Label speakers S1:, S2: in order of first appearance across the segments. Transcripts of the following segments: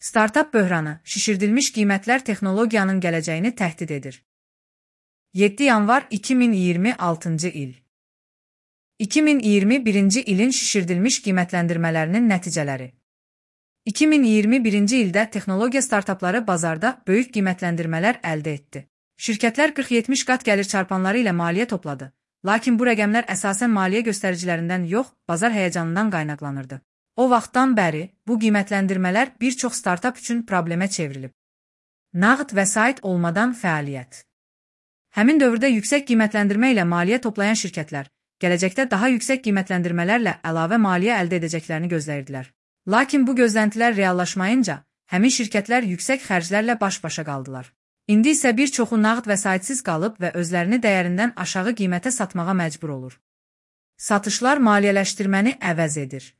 S1: Startap böhranı, şişirdilmiş qiymətlər texnologiyanın gələcəyini təhdid edir. 7 yanvar 2026 il 2021 ilin şişirdilmiş qiymətləndirmələrinin nəticələri 2021 ildə texnologiya startapları bazarda böyük qiymətləndirmələr əldə etdi. Şirkətlər 40-70 qat gəlir çarpanları ilə maliyyə topladı. Lakin bu rəqəmlər əsasən maliyyə göstəricilərindən yox, bazar həyəcanından qaynaqlanırdı. O vaxtdan bəri bu qiymətləndirmələr bir çox startap üçün problemə çevrilib. Nağd vəsait olmadan fəaliyyət. Həmin dövrdə yüksək qiymətləndirmə ilə maliyyə toplayan şirkətlər, gələcəkdə daha yüksək qiymətləndirmələrlə əlavə maliyyə əldə edəcəklərini gözləyirdilər. Lakin bu gözləntilər reallaşmayınca, həmin şirkətlər yüksək xərclərlə baş-başa qaldılar. İndi isə bir çoxu nağd vəsaitsiz qalıb və özlərini dəyərindən aşağı qiymətə satmağa məcbur olur. Satışlar maliyyələşdirməni əvəz edir.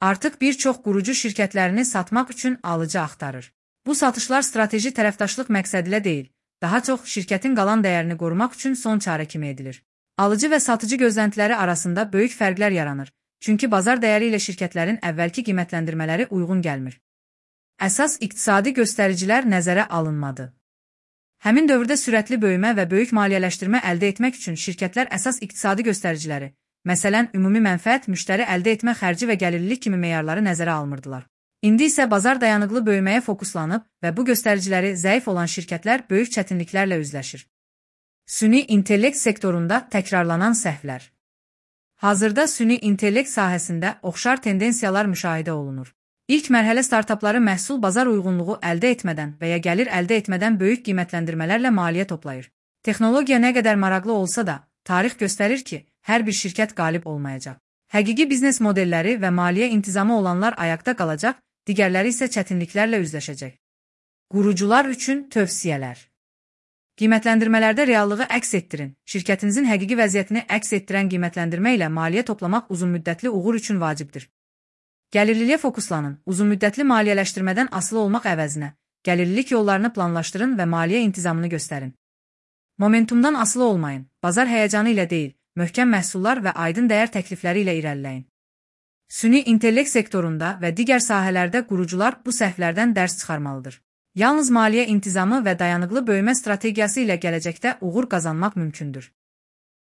S1: Artıq bir çox qurucu şirkətlərini satmaq üçün alıcı axtarır. Bu satışlar strateji tərəfdaşlıq məqsədilə deyil, daha çox şirkətin qalan dəyərini qorumaq üçün son çarə kimi edilir. Alıcı və satıcı gözləntiləri arasında böyük fərqlər yaranır, çünki bazar dəyəri ilə şirkətlərin əvvəlki qiymətləndirmələri uyğun gəlmir. Əsas iqtisadi göstəricilər nəzərə alınmadı. Həmin dövrdə sürətli böyümə və böyük maliyyələşdirmə əldə etmək üçün şirkətlər əsas iqtisadi göstəriciləri, məsələn, ümumi mənfəət, müştəri əldə etmə xərci və gəlirlilik kimi meyarları nəzərə almırdılar. İndi isə bazar dayanıqlı böyüməyə fokuslanıb və bu göstəriciləri zəif olan şirkətlər böyük çətinliklərlə üzləşir. Süni intellekt sektorunda təkrarlanan səhvlər. Hazırda süni intellekt sahəsində oxşar tendensiyalar müşahidə olunur. İlk mərhələ startapları məhsul bazar uyğunluğu əldə etmədən və ya gəlir əldə etmədən böyük qiymətləndirmələrlə maliyyə toplayır. Texnologiya nə qədər maraqlı olsa da, tarix göstərir ki, hər bir şirkət qalib olmayacaq. Həqiqi biznes modelləri və maliyyə intizamı olanlar ayaqda qalacaq, digərləri isə çətinliklərlə üzləşəcək. Qurucular üçün tövsiyələr. Qiymətləndirmələrdə reallığı əks etdirin. Şirkətinizin həqiqi vəziyyətini əks etdirən qiymətləndirmə ilə maliyyə toplamaq uzunmüddətli uğur üçün vacibdir. Gəlirliliyə fokuslanın. Uzunmüddətli maliyyələşdirmədən asılı olmaq əvəzinə, gəlirlilik yollarını planlaşdırın və maliyyə intizamını göstərin. Momentumdan asılı olmayın. Bazar həyəcanı ilə deyil, möhkəm məhsullar və aydın dəyər təklifləri ilə irəliləyin. Süni intellekt sektorunda və digər sahələrdə qurucular bu səhvlərdən dərs çıxarmalıdır. Yalnız maliyyə intizamı və dayanıqlı böyümə strategiyası ilə gələcəkdə uğur qazanmaq mümkündür.